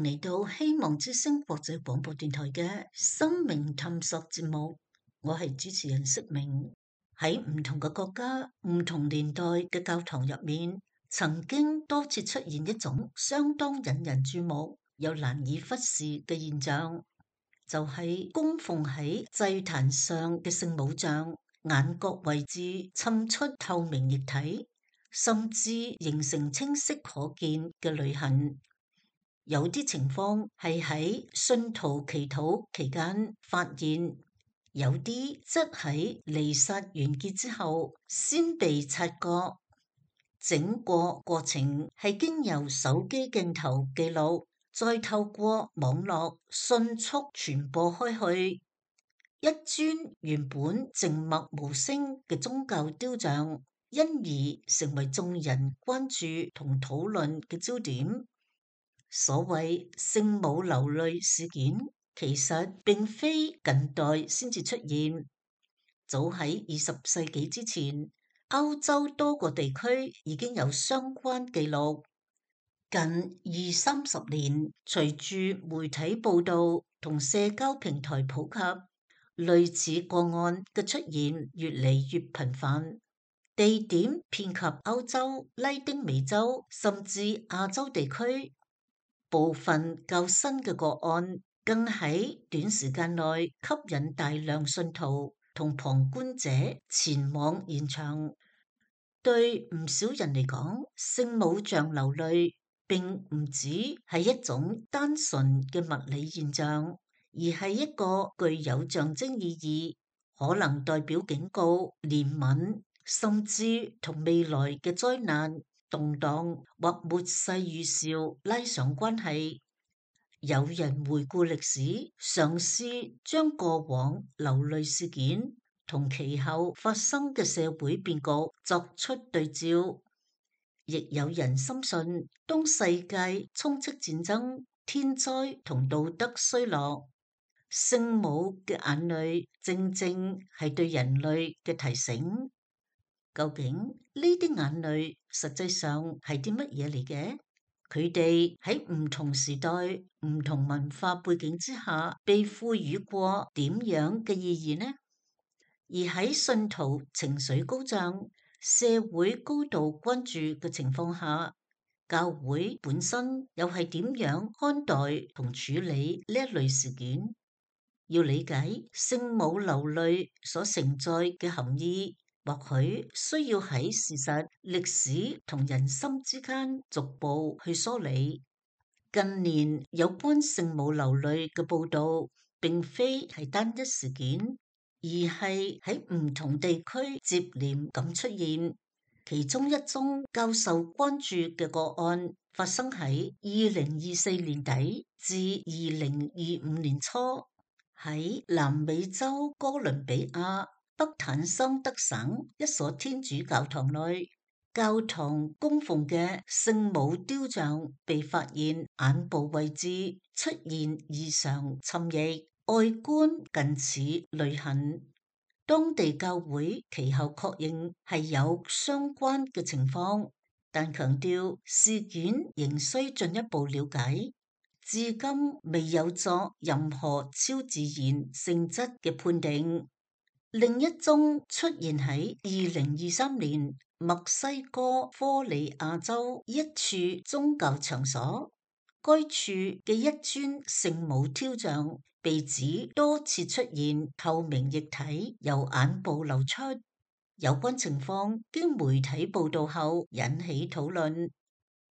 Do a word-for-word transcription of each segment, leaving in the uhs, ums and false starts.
嚟到希望之聲國際廣播電台嘅生命探索節目，我係主持人釋明。喺唔同嘅國家、唔同年代嘅教堂入面，曾經多次出現一種相當引人注目又難以忽視嘅現象，就係供奉喺祭壇上嘅聖母像，眼角位置滲出透明液體，甚至形成清晰可見嘅淚痕。有啲情況係喺信徒祈禱期間發現，有啲則喺彌撒完結之後先被察覺。整個過程係經由手機鏡頭記錄，再透過網絡迅速傳播開去。一尊原本靜默無聲嘅宗教雕像，因而成為眾人關注同討論嘅焦點。所謂聖母流淚事件，其實並非近代先至出現，早喺二十世紀之前，歐洲多個地區已經有相關記錄。近二三十年，隨住媒體報道同社交平台普及，類似個案嘅出現越嚟越頻繁，地點遍及歐洲、拉丁美洲甚至亞洲地區。部分較新嘅個案更喺短時間內吸引大量信徒同旁觀者前往現場。對唔少人嚟講，聖母像流淚並唔止係一種單純嘅物理現象，而係一個具有象徵意義，可能代表警告、憐憫，甚至同未來嘅災難、動盪或末世預兆拉上關係。有人回顧歷史，嘗試將過往流淚事件同其後發生嘅社會變局作出對照，亦有人深信，當世界充斥戰爭、天災同道德衰落，聖母嘅眼淚正正係對人類嘅提醒。究竟呢啲眼淚實際上係啲乜嘢嚟嘅？佢哋喺唔同時代、唔同文化背景之下，被賦予過點樣嘅意義呢？而喺信徒情緒高漲、社會高度關注嘅情況下，教會本身又係點樣看待同處理呢一類事件？要理解聖母流淚所承載嘅含義，或許需要喺事實、歷史同人心之間逐步去梳理。近年有關聖母流淚嘅報導，並非係單一事件，而係喺唔同地區接連咁出現。其中一宗較受關注嘅個案，發生喺二零二四年底至二零二五年初，喺南美洲哥倫比亞北坦桑德省一所天主教堂內，教堂供奉嘅聖母雕像被發現眼部位置出現異常侵蝕，外觀近似淚痕。當地教會其後確認係有相關嘅情況，但強調事件仍需進一步了解，至今未有作任何超自然性質嘅判定。另一宗出現喺二零二三年墨西哥科里亞州一處宗教場所，該處嘅一尊聖母雕像被指多次出現透明液體由眼部流出。有關情況經媒體報道後引起討論，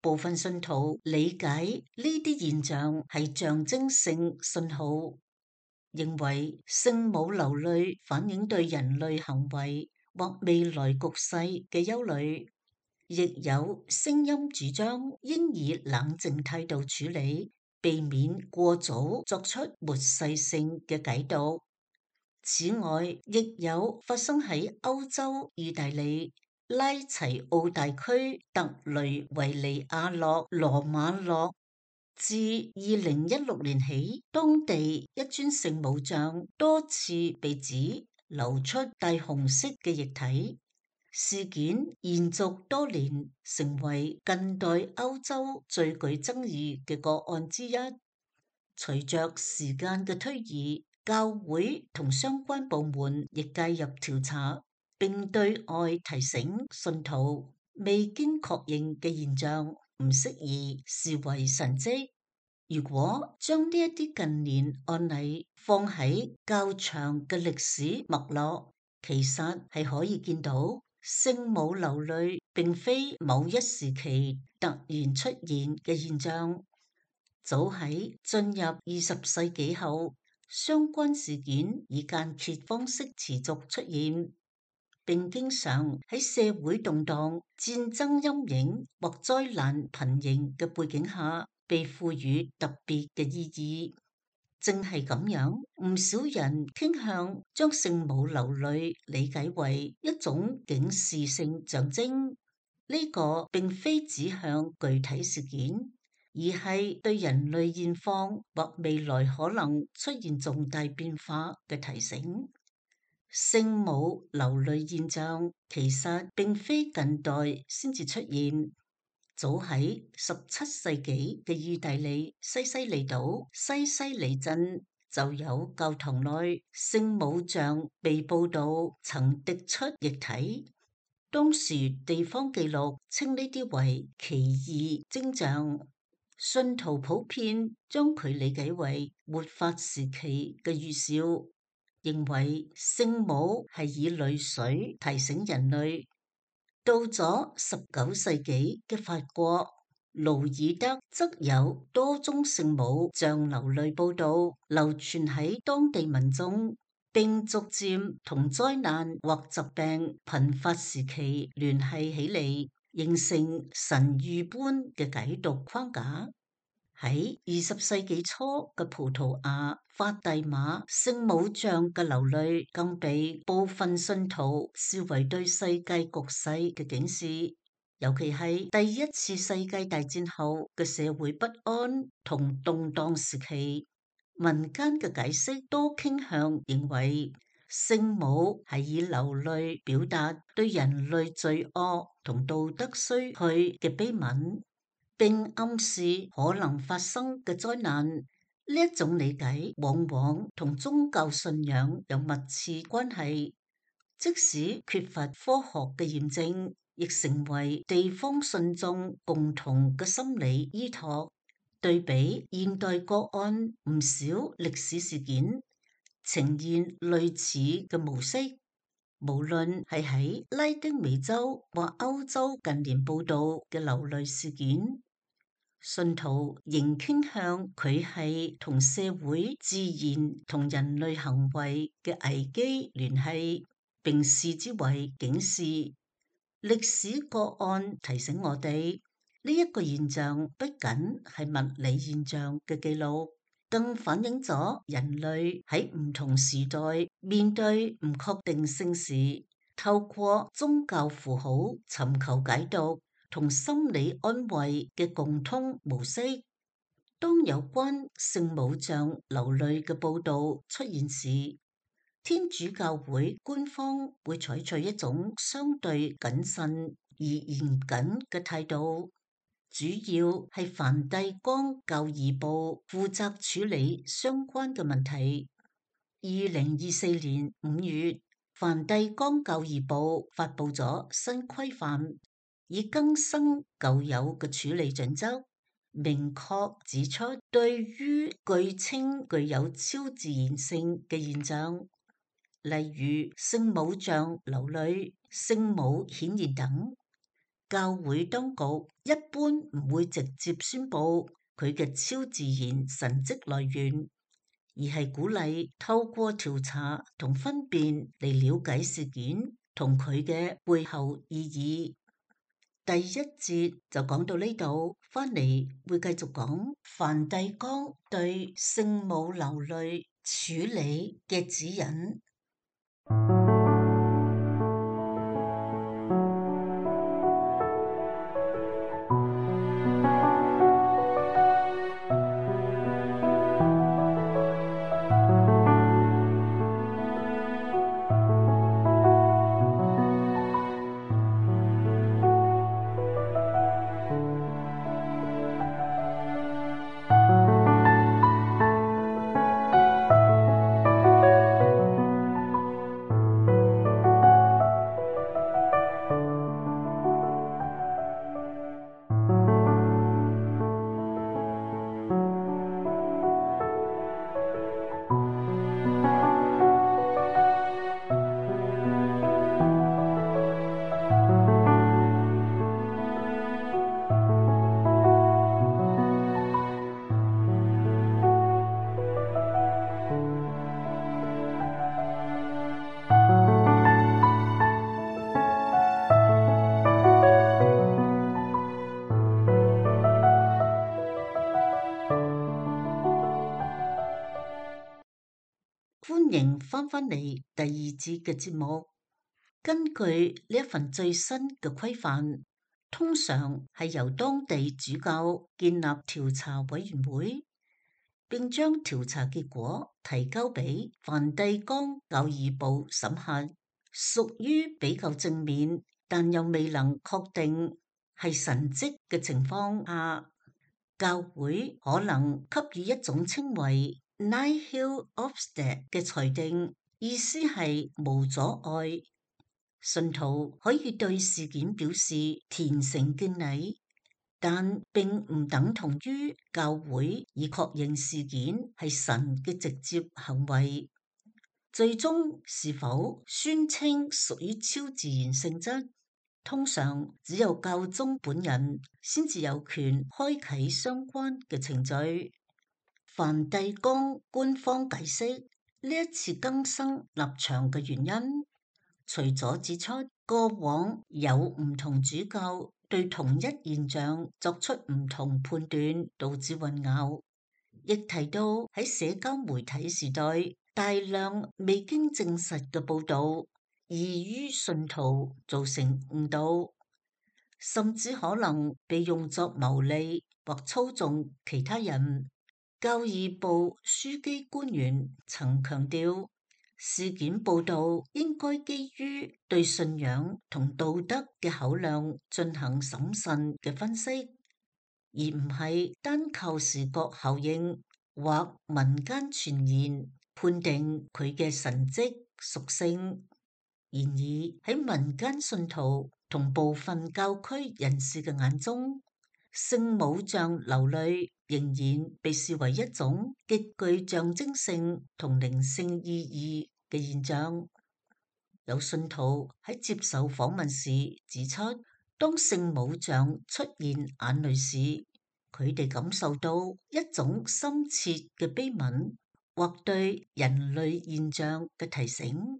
部分信徒理解呢啲現象係象徵性信號，認為聖母流淚反映對人類行為或未來局勢嘅憂慮，亦有聲音主張應以冷靜態度處理，避免過早作出末世性嘅解讀。此外，亦有發生喺歐洲意大利拉齊奧大區特雷維尼亞諾羅馬諾，自二零一六年起，當地一尊聖母像多次被指流出帶紅色嘅液體，事件延續多年，成為近代歐洲最具爭議嘅個案之一。隨着時間嘅推移，教會同相關部門亦介入調查，並對外提醒信徒，未經確認嘅現象唔適宜視為神蹟。如果將呢一啲近年案例放喺較長嘅歷史脈絡，其實係可以見到聖母流淚並非某一時期突然出現嘅現象。早喺進入二十世紀後，相關事件以間歇方式持續出現，並經常喺社會動盪、戰爭陰影或災難頻仍嘅背景下被賦予特別嘅意義。正係咁樣，唔少人傾向將聖母流淚理解為一種警示性象徵。呢個並非指向具體事件，而係對人類現況或未來可能出現重大變化嘅提醒。聖母流淚現象其實並非近代先至出現，早喺十七世紀嘅意大利西西里島西西里鎮就有教堂內聖母像被報道曾滴出液體。當時地方記錄稱呢啲為奇異徵象，信徒普遍將佢理解為末法時期嘅預兆，認為聖母係以淚水提醒人類。到咗十九世紀嘅法國，盧爾德則有多宗聖母像流淚報道流傳喺當地民眾，並逐漸同災難或疾病頻發時期聯繫起嚟，形成神諭般嘅解讀框架。喺二十世紀初嘅葡萄牙法蒂瑪聖母像嘅流淚，更被部分信徒視為對世界局勢嘅警示，尤其係第一次世界大戰後嘅社會不安同動盪時期。民間嘅解釋多傾向認為，聖母係以流淚表達對人類罪惡同道德衰去嘅悲憫，並暗示可能發生嘅災難。呢一種理解往往同宗教信仰有密切關係，即使缺乏科學嘅驗證，亦成為地方信眾共同嘅心理依託。對比現代個案，唔少歷史事件呈現類似嘅模式，無論係喺拉丁美洲或歐洲近年報道嘅流淚事件，信徒仍傾向佢係同社會、自然同人類行為嘅危機聯繫，並視之為警示。歷史個案提醒我哋，呢一個現象不僅係物理現象嘅記錄，更反映咗人類喺唔同時代面對唔確定性時，透過宗教符號尋求解讀同心理安慰嘅共通模式。當有關聖母像流淚嘅報道出現時，天主教會官方會採取一種相對謹慎而嚴謹嘅態度，主要係梵蒂岡教義部負責處理相關嘅問題。二零二四年五月，梵蒂岡教義部發布咗新規範，以更新舊有嘅處理準則，明確指出對於據稱具有超自然性嘅現象，例如聖母像流淚、聖母顯現等，教會當局一般唔會直接宣布佢嘅超自然神蹟來源，而係鼓勵透過調查同分辨嚟了解事件同佢嘅背後意義。第一節就講到呢度，翻嚟會繼續講梵蒂岡對聖母流淚處理嘅指引。歡迎翻返嚟第二節嘅節目。根據呢一份最新嘅規範，通常係由當地主教建立調查委員會，並將調查結果提交俾梵蒂岡教義部審核。屬於比較正面，但又未能確定係神蹟嘅情況下，教會可能給予一種稱為 Nihil obstat 嘅裁定，意思係無阻礙。信徒可以對事件表示虔誠敬禮，但並唔等同於教會以確認事件係神嘅直接行為。最終是否宣稱屬於超自然性質，通常只有教宗本人先至有權開啟相關嘅程序。梵蒂岡官方解釋呢一次更新立場嘅原因，除咗指出過往有唔同主教對同一現象作出唔同判斷，導致混淆，亦提到喺社交媒體時代大量未經證實嘅報導，易於信徒造成誤導，甚至可能被用作牟利或操縱其他人。教義部樞機官員曾強調，事件報導應該基於對信仰同道德嘅考量進行審慎嘅分析，而唔係單靠視覺效應或民間傳言判定佢嘅神蹟屬性。然而喺民間信徒同部分教區人士嘅眼中，聖母像流淚仍然被視為一種極具象徵性同靈性意義嘅現象。有信徒喺接受訪問時指出，當聖母像出現眼淚時，佢哋感受到一種深切嘅悲憫或對人類現象嘅提醒。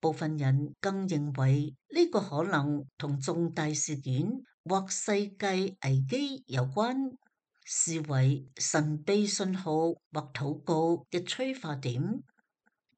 部分人更認為呢個可能同重大事件或世界危機有關，視為神秘信號或禱告嘅催化點。呢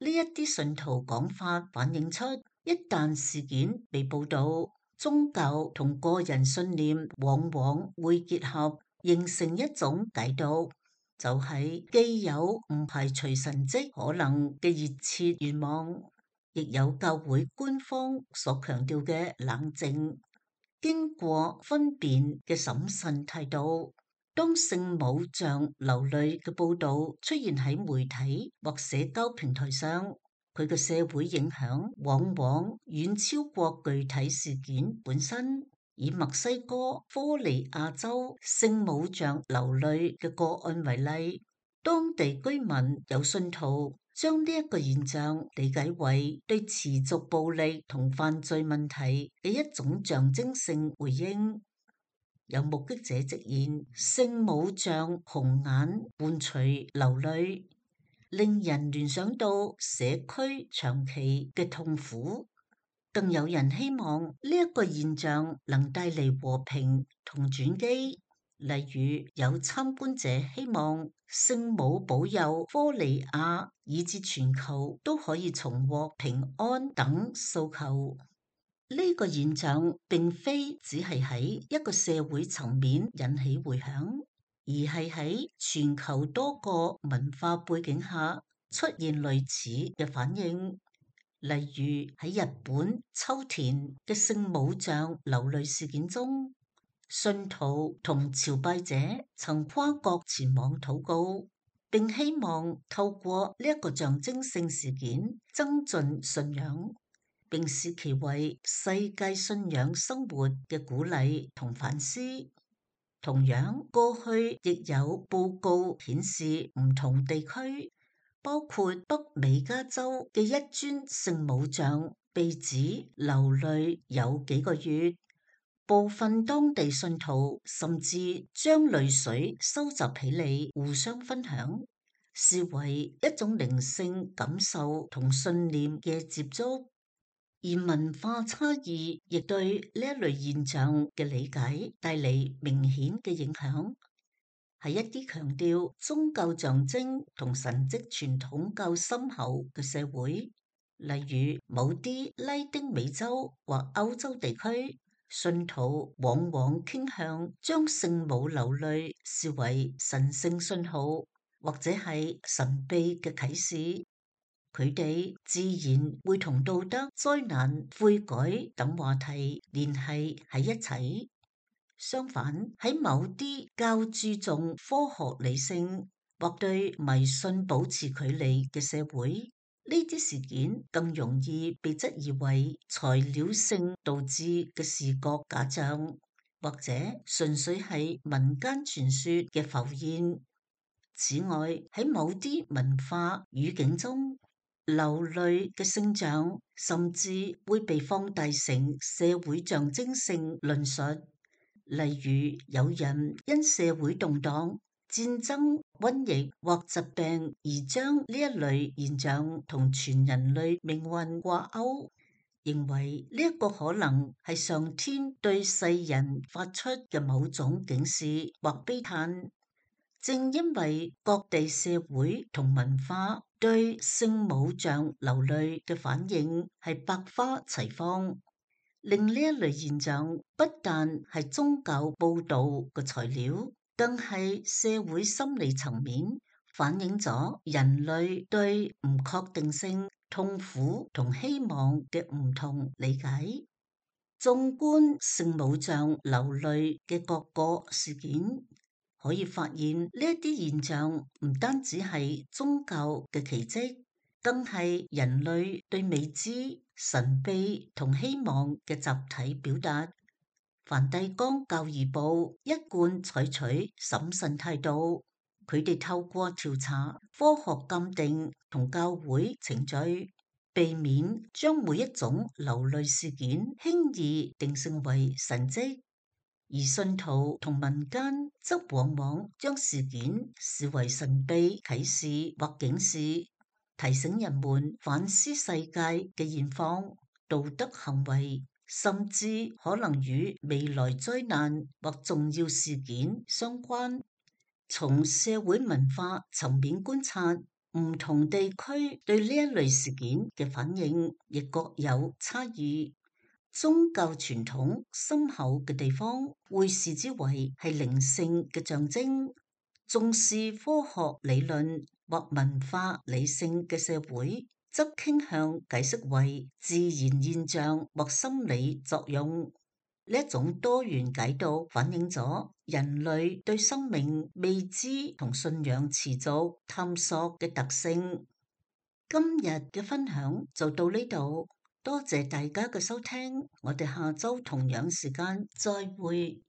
一啲信徒講法反映出，一旦事件被報導，宗教同個人信念往往會結合，形成一種解讀，就係既有唔排除神蹟可能嘅熱切願望，亦有教會官方所強調嘅冷靜、經過分辨嘅審慎態度。當聖母像流淚嘅報導出現喺媒體或社交平台上，佢嘅社會影響往往遠超過具體事件本身。以墨西哥科尼亞州聖母像流淚嘅個案為例，當地居民有信徒將呢一個現象理解為對持續暴力同犯罪問題嘅一種象徵性回應。有目擊者直言，聖母像紅眼伴隨流淚，令人聯想到社區長期嘅痛苦。更有人希望呢一個現象能帶嚟和平同轉機。例如有參觀者希望聖母保佑科尼亞以至全球都可以重獲平安等訴求。呢個現象並非只係喺一個社會層面引起迴響，而係喺全球多個文化背景下出現類似嘅反應。例如喺日本秋田嘅聖母像流淚事件中，信徒同朝拜者曾跨國前往禱告，並希望透過呢一個象徵性事件增進信仰，並視其為世界信仰生活嘅鼓勵同反思。同樣，過去亦有報告顯示唔同地區，包括北美加州嘅一尊聖母像被指流淚有幾個月，部分當地信徒甚至將淚水收集起嚟互相分享，視為一種靈性感受同信念嘅接觸。而文化差異亦對呢一類現象嘅理解帶嚟明顯嘅影響。係一啲強調宗教象徵同神蹟傳統較深厚嘅社會，例如某啲拉丁美洲或歐洲地區，信徒往往傾向將聖母流淚視為神聖信號，或者係神秘嘅啟示。佢哋自然會同道德、災難、悔改等話題聯繫喺一齊。相反，喺某啲較注重科學理性或對迷信保持距離嘅社會，呢啲事件更容易被質疑為材料性導致嘅視覺假象，或者純粹係民間傳說嘅浮現。此外，喺某啲文化語境中，流淚嘅聖像甚至會被放大成社會象徵性論述，例如有人因社會動盪、戰爭、瘟疫或疾病而將呢一類現象同全人類命運掛鈎，認為呢一個可能係上天對世人發出嘅某種警示或悲嘆。正因為各地社會同文化對聖母像流淚嘅反應係百花齊放，令呢一類現象不但係宗教報導嘅材料，更係社會心理層面反映咗人類對唔確定性、痛苦同希望嘅唔同理解。縱觀聖母像流淚嘅各個事件，可以發現呢一啲現象唔單止係宗教嘅奇蹟，更係人類對未知、神秘同希望嘅集體表達。梵蒂岡教義部一貫採取審慎態度，佢哋透過調查、科學鑑定同教會程序，避免將每一種流淚事件輕易定性為神蹟。而信徒同民間則往往將事件視為神秘啟示或警示，提醒人們反思世界嘅現況、道德行為，甚至可能與未來災難或重要事件相關。從社會文化層面觀察，唔同地區對呢一類事件嘅反應亦各有差異。宗教傳統深厚嘅地方，會視之為係靈性嘅象徵；重視科學理論或文化理性嘅社會，則傾向解釋為自然現象或心理作用。呢一種多元解讀反映咗人類對生命未知同信仰持續探索嘅特性。今日嘅分享就到呢度。多謝大家嘅收聽，我哋下周同樣時間再會。